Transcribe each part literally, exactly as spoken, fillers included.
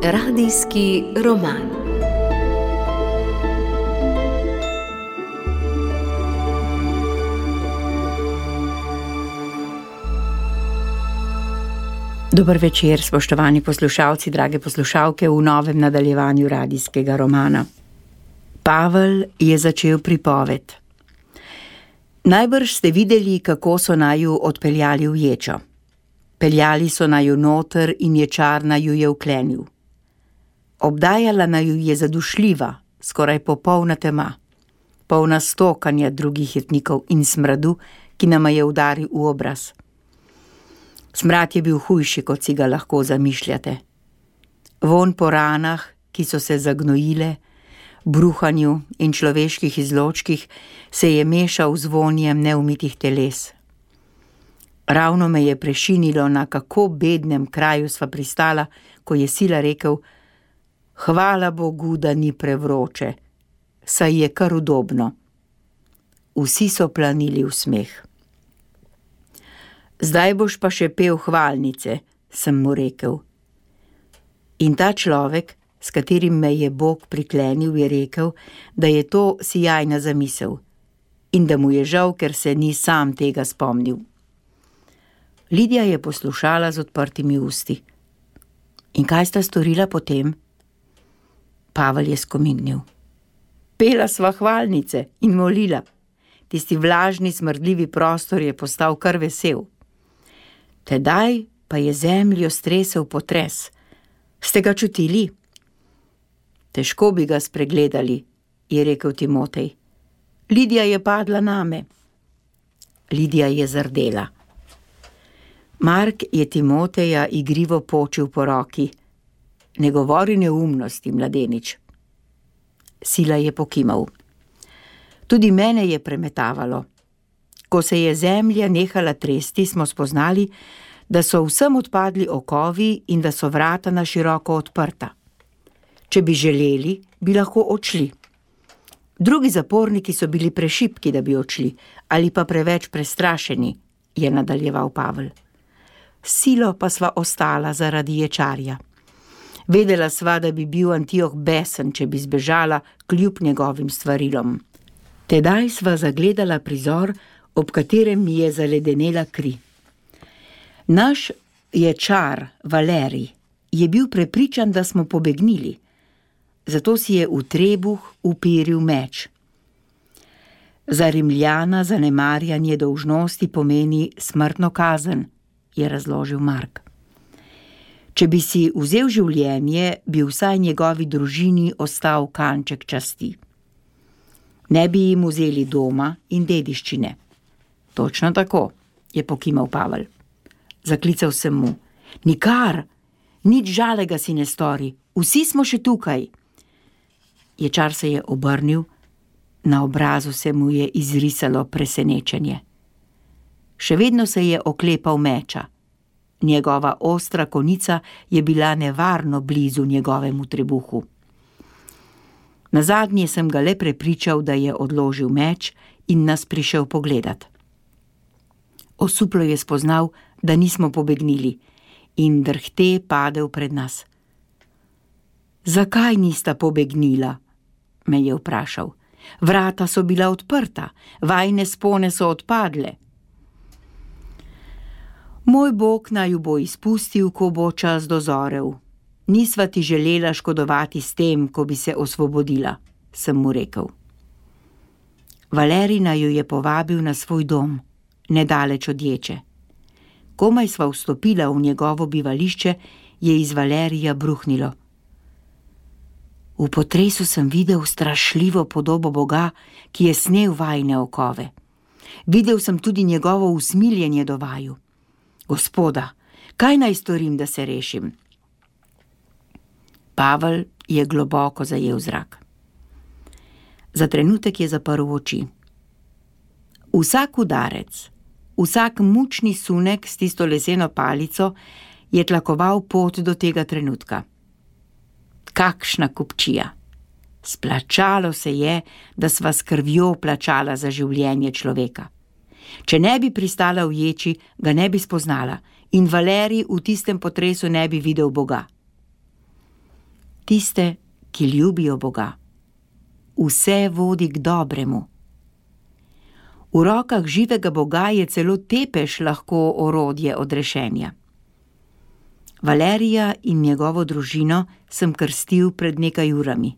Radijski roman. Dober večer, spoštovani poslušalci, drage poslušalke, v novem nadaljevanju radijskega romana. Pavel je začel pripoved. Najbrž ste videli, kako so naju odpeljali v ječo. Peljali so naju noter in ječar naju je vklenil. Obdajala naju je zadušljiva, skoraj popolna tema, polna stokanja drugih jetnikov in smradu, ki nama je udaril v obraz. Smrad je bil hujši, kot si ga lahko zamišljate. Vonj po ranah, ki so se zagnojile, bruhanju in človeških izločkih, se je mešal z vonjem neumitih teles. Ravno me je prešinilo, na kako bednem kraju sva pristala, ko je sila rekel: hvala Bogu, da ni prevroče, saj je kar udobno. Vsi so planili v smeh. Zdaj boš pa še pel hvalnice, sem mu rekel. In ta človek, s katerim me je Bog priklenil, je rekel, da je to sijajna zamisel in da mu je žal, ker se ni sam tega spomnil. Lidija je poslušala z odprtimi usti. In kaj sta storila potem? Pavel je skomignil. Pela sva hvalnice in molila. Tisti vlažni, smrdljivi prostor je postal kar vesel. Tedaj pa je zemljo stresel potres. Ste ga čutili? Težko bi ga spregledali, je rekel Timotej. Lidija je padla name. Lidija je zardela. Mark je Timoteja igrivo počil po roki. Ne govori neumnosti, mladenič. Sila je pokimal. Tudi mene je premetavalo. Ko se je zemlja nehala tresti, smo spoznali, da so vsem odpadli okovi in da so vrata na široko odprta. Če bi želeli, bi lahko odšli. Drugi zaporniki so bili prešipki, da bi odšli, ali pa preveč prestrašeni, je nadaljeval Pavel. Silo pa sva ostala zaradi ječarja. Vedela sva, da bi bil Antioh besen, če bi zbežala kljub njegovim stvarilom. Tedaj sva zagledala prizor, ob katerem mi je zaledenela kri. Naš ječar, Valerij, je bil prepričan, da smo pobegnili, zato si je v trebuh uperil meč. Za Rimljana zanemarjanje dolžnosti pomeni smrtno kazen, je razložil Mark. Če bi si vzel življenje, bi vsaj njegovi družini ostal kanček časti. Ne bi jim vzeli doma in dediščine. Točno tako, je pokimal Pavel. Zaklical sem mu. Nikar, nič žalega si ne stori, vsi smo še tukaj. Ječar se je obrnil, na obrazu se mu je izrisalo presenečenje. Še vedno se je oklepal meča. Njegova ostra konica je bila nevarno blizu njegovemu trebuhu. Nazadnje sem ga le prepričal, da je odložil meč in nas prišel pogledat. Osuplo je spoznal, da nismo pobegnili in drhte padel pred nas. Zakaj nista pobegnila? Me je vprašal. Vrata so bila odprta, vajne spone so odpadle. Moj Bog naju bo izpustil, ko bo čas dozorel. Nisva ti želela škodovati s tem, ko bi se osvobodila, sem mu rekel. Valerij naju je povabil na svoj dom, nedaleč od ječe. Komaj sva vstopila v njegovo bivališče, je iz Valerija bruhnilo. V potresu sem videl strašljivo podobo Boga, ki je snel vajne okove. Videl sem tudi njegovo usmiljenje do vaju. Gospoda, kaj naj storim, da se rešim? Pavel je globoko zajel zrak. Za trenutek je zaprl oči. Vsak udarec, vsak mučni sunek s tisto leseno palico je tlakoval pot do tega trenutka. Kakšna kupčija! Splačalo se je, da sva s krvjo plačala za življenje človeka. Če ne bi pristala v ječi, ga ne bi spoznala in Valerij v tistem potresu ne bi videl Boga. tiste, ki ljubijo Boga. Vse vodi k dobremu. V rokah živega Boga je celo tepež lahko orodje odrešenja. Valerija in njegovo družino sem krstil pred nekaj urami.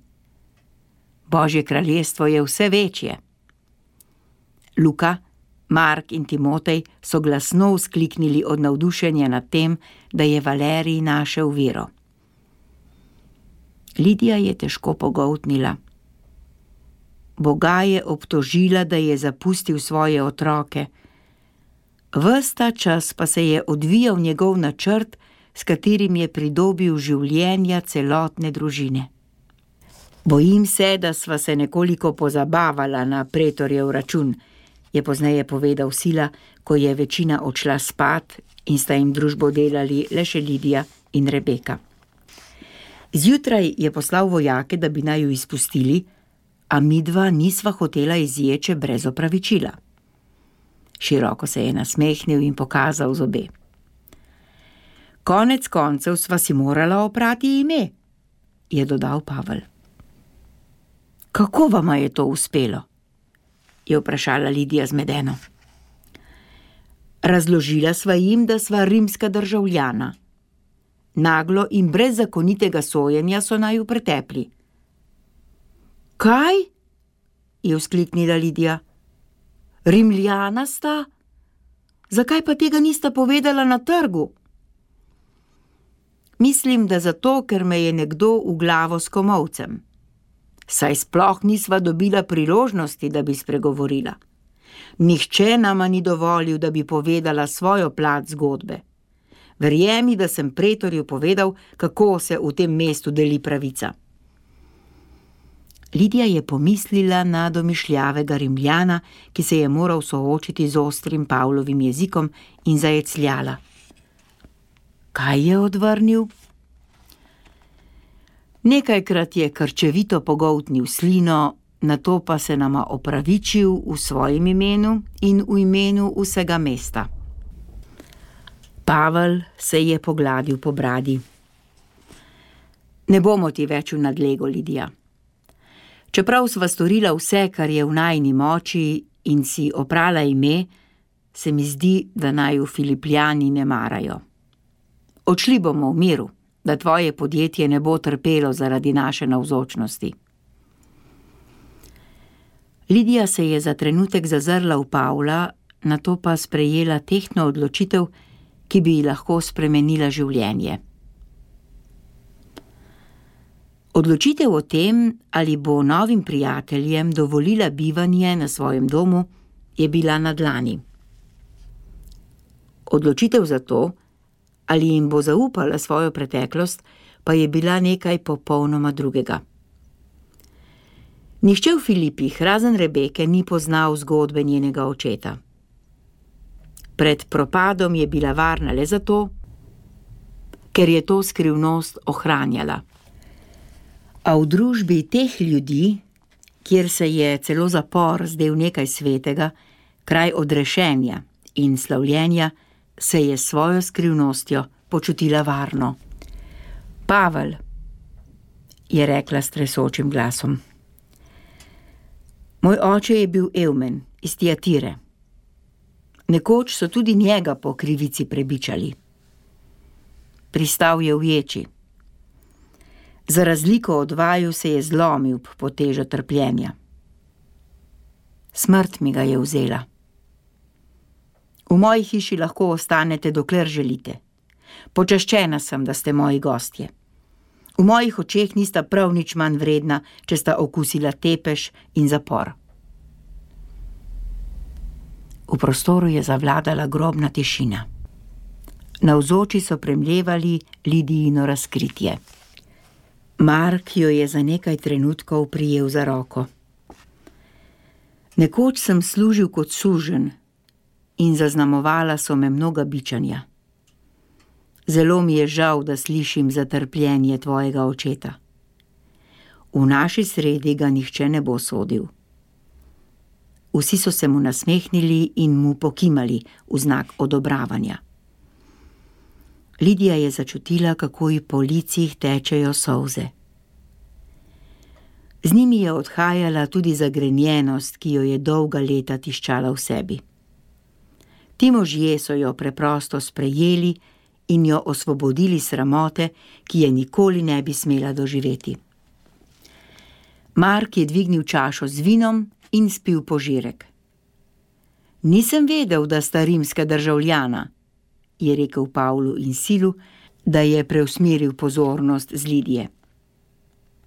Božje kraljestvo je vse večje. Luka, Mark in Timotej so glasno vzkliknili od navdušenja nad tem, da je Valerij našel vero. Lidija je težko pogoltnila. Boga je obtožila, da je zapustil svoje otroke. Ves ta čas pa se je odvijal njegov načrt, s katerim je pridobil življenja celotne družine. Bojim se, da sva se nekoliko pozabavala na pretorjev račun, je pozneje povedal Sila, ko je večina odšla spat in sta jim družbo delali le še Lidija in Rebeka. Zjutraj je poslal vojake, da bi naju izpustili, a midva nisva hotela izječe brez opravičila. Široko se je nasmehnil in pokazal zobe. Konec koncev sva si morala oprati ime, je dodal Pavel. Kako vama je to uspelo? Je vprašala Lidija zmedeno. Razložila sva jim, da sva rimska državljana. Naglo in brez zakonitega sojenja so naju pretepli. Kaj? Je vzkliknila Lidija. Rimljana sta? Zakaj pa tega nista povedala na trgu? Mislim, da zato, ker me je nekdo v glavo s komolcem. Saj sploh nisva dobila priložnosti, da bi spregovorila. Nihče nama ni dovolil, da bi povedala svojo plat zgodbe. Verjemi, da sem pretorju povedal, kako se v tem mestu deli pravica. Lidija je pomislila na domišljavega Rimljana, ki se je moral soočiti z ostrim Pavlovim jezikom, in zajecljala. Kaj je odvrnil? Nekajkrat je krčevito pogoltnil slino, nato pa se nama opravičil v svojem imenu in v imenu vsega mesta. Pavel se je pogladil po bradi. Ne bomo ti več v nadlego, Lidija. Čeprav sva storila vse, kar je v najini moči, in si oprala ime, se mi zdi, da naju Filipljani ne marajo. Odšli bomo v miru, da tvoje podjetje ne bo trpelo zaradi naše navzočnosti. Lidija se je za trenutek zazrla v Pavla, nato pa sprejela tehtno odločitev, ki bi ji lahko spremenila življenje. Odločitev o tem, ali bo novim prijateljem dovolila bivanje na svojem domu, je bila na dlani. Odločitev za to, ali jim bo zaupala svojo preteklost, pa je bila nekaj popolnoma drugega. Nihče v Filipih, razen Rebeke, ni poznal zgodbe njenega očeta. Pred propadom je bila varna le zato, ker je to skrivnost ohranjala. A v družbi teh ljudi, kjer se je celo zapor zdel nekaj svetega, kraj odrešenja in slavljenja, se je svojo skrivnostjo počutila varno. Pavel, je rekla s tresočim glasom. Moj oče je bil Evmen iz Tiatire. Nekoč so tudi njega po krivici prebičali. Pristal je v ječi. Za razliko od vaju se je zlomil pod težo trpljenja. Smrt mi ga je vzela. V moji hiši lahko ostanete, dokler želite. Počaščena sem, da ste moji gostje. V mojih očeh nista prav nič manj vredna, če sta okusila tepež in zapor. V prostoru je zavladala grobna tišina. Navzoči so premljevali Lidijino razkritje. Mark jo je za nekaj trenutkov prijel za roko. Nekoč sem služil kot suženj in zaznamovala so me mnoga bičanja. Zelo mi je žal, da slišim za trpljenje tvojega očeta. V naši sredi ga nihče ne bo sodil. Vsi so se mu nasmehnili in mu pokimali v znak odobravanja. Lidija je začutila, kako ji po licih tečejo solze. Z njimi je odhajala tudi zagrenjenost, ki jo je dolga leta tiščala v sebi. Ti možje so jo preprosto sprejeli in jo osvobodili sramote, ki je nikoli ne bi smela doživeti. Mark je dvignil čašo z vinom in spil požirek. Nisem vedel, da sta rimska državljana, je rekel Pavlu in Silu, da je preusmeril pozornost z Lidije.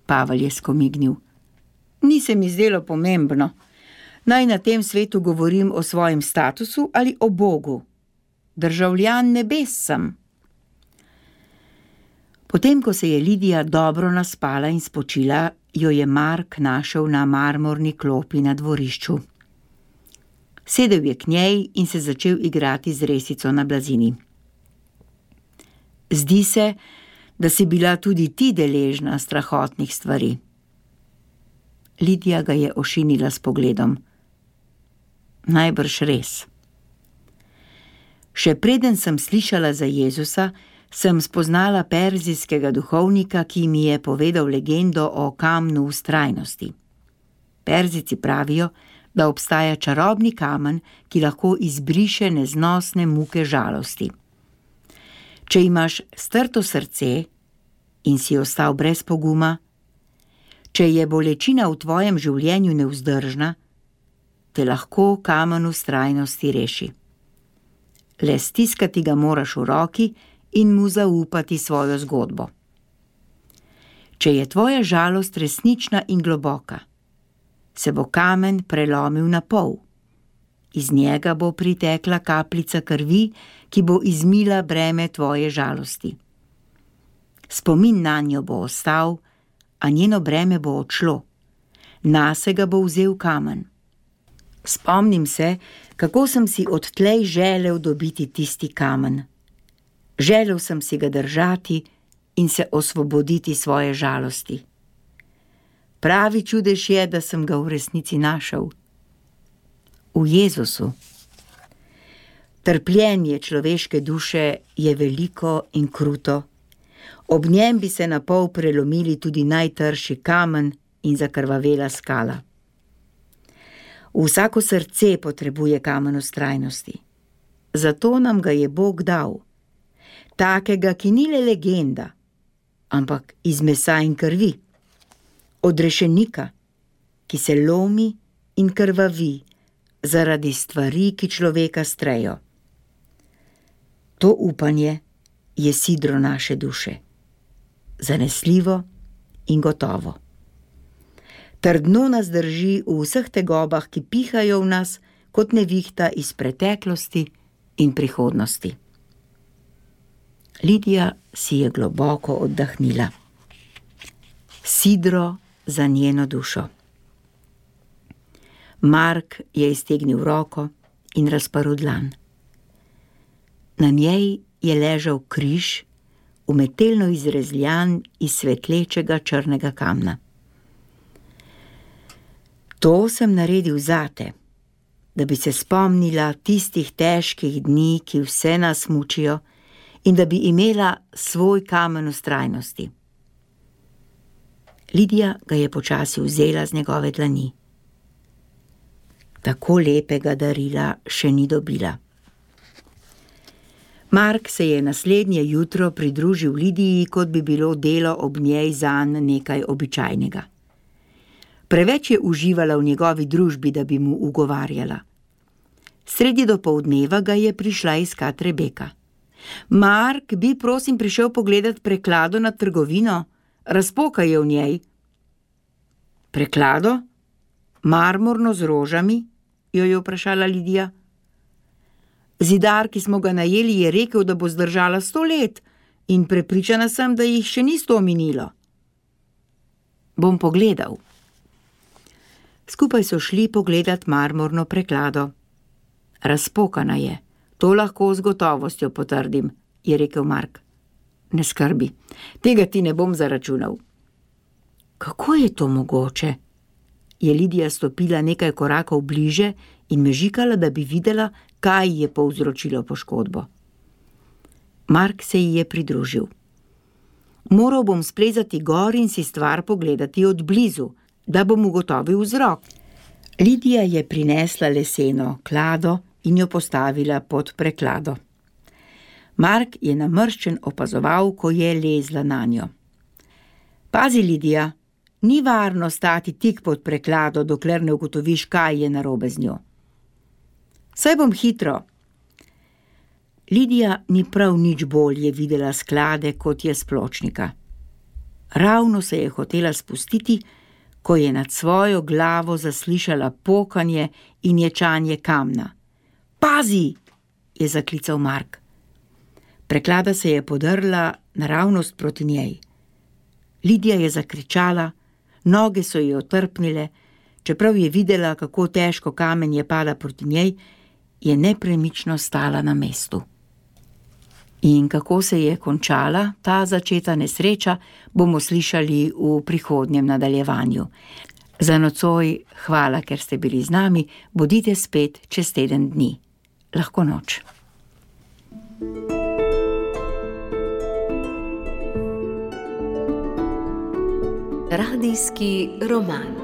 Pavel je skomignil. Ni se mi zdelo pomembno. Naj na tem svetu govorim o svojem statusu ali o Bogu. Državljan nebes sem. Potem, ko se je Lidija dobro naspala in spočila, jo je Mark našel na marmorni klopi na dvorišču. Sedel je k njej in se začel igrati z resico na blazini. Zdi se, da si bila tudi ti deležna strahotnih stvari. Lidija ga je ošinila s pogledom. Najbrž res. Še preden sem slišala za Jezusa, sem spoznala perzijskega duhovnika, ki mi je povedal legendo o kamnu vztrajnosti. Perzijci pravijo, da obstaja čarobni kamen, ki lahko izbriše neznosne muke žalosti. Če imaš strto srce in si ostal brez poguma, če je bolečina v tvojem življenju nevzdržna, te lahko kamen vztrajnosti reši. Le stiskati ga moraš v roki in mu zaupati svojo zgodbo. Če je tvoja žalost resnična in globoka, se bo kamen prelomil na pol. Iz njega bo pritekla kapljica krvi, ki bo izmila breme tvoje žalosti. Spomin nanjo bo ostal, a njeno breme bo odšlo. Nase ga bo vzel kamen. Spomnim se, kako sem si odtlej želel dobiti tisti kamen. Želel sem si ga držati in se osvoboditi svoje žalosti. Pravi čudež je, da sem ga v resnici našel. V Jezusu. Trpljenje človeške duše je veliko in kruto. Ob njem bi se na pol prelomili tudi najtrši kamen in zakrvavela skala. Vsako srce potrebuje kamen vztrajnosti. Zato nam ga je Bog dal. Takega, ki ni le legenda, ampak iz mesa in krvi. Odrešenika, ki se lomi in krvavi zaradi stvari, ki človeka strejo. To upanje je sidro naše duše. Zanesljivo in gotovo. Trdno nas drži v vseh tegobah, ki pihajo v nas kot nevihta iz preteklosti in prihodnosti. Lidija si je globoko oddahnila. Sidro za njeno dušo. Mark je iztegnil roko in razprl dlan. Na njej je ležal križ, umetelno izrezljan iz svetlečega črnega kamna. To sem naredil zate, da bi se spomnila tistih težkih dni, ki vse nas mučijo, in da bi imela svoj kamen vztrajnosti. Lidija ga je počasi vzela z njegove dlani. Tako lepega darila še ni dobila. Mark se je naslednje jutro pridružil Lidiji, kot bi bilo delo ob njej zanj nekaj običajnega. Preveč je uživala v njegovi družbi, da bi mu ugovarjala. Sredi dopoldneva ga je prišla iskat Rebeka. Mark, bi prosim prišel pogledat preklado nad trgovino, razpoka je v njej. Preklado? Marmorno z rožami? Jo je vprašala Lidija. Zidar, ki smo ga najeli, je rekel, da bo zdržala sto let in prepričana sem, da jih še ni sto minilo. Bom pogledal. Skupaj so šli pogledat marmorno preklado. Razpokana je, to lahko z gotovostjo potrdim, je rekel Mark. Ne skrbi, tega ti ne bom zaračunal. Kako je to mogoče? Je Lidija stopila nekaj korakov bliže in mežikala, da bi videla, kaj je povzročilo poškodbo. Mark se ji je pridružil. Moral bom splezati gor in si stvar pogledati od blizu, da bom ugotovil vzrok. Lidija je prinesla leseno klado in jo postavila pod preklado. Mark je namrščen opazoval, ko je lezla nanjo. Pazi, Lidija, ni varno stati tik pod preklado, dokler ne ugotoviš, kaj je narobe z njo. Saj bom hitro. Lidija ni prav nič bolje videla sklade, kot je s pločnika. Ravno se je hotela spustiti, ko je nad svojo glavo zaslišala pokanje in ječanje kamna. Pazi, je zaklical Mark. Preklada se je podrla naravnost proti njej. Lidija je zakričala, noge so ji otrpnile, čeprav je videla, kako težko kamenje pada proti njej, je nepremično stala na mestu. In kako se je končala ta začeta nesreča, bomo slišali v prihodnjem nadaljevanju. Za nocoj hvala, ker ste bili z nami, bodite spet čez teden dni. Lahko noč. Radijski roman.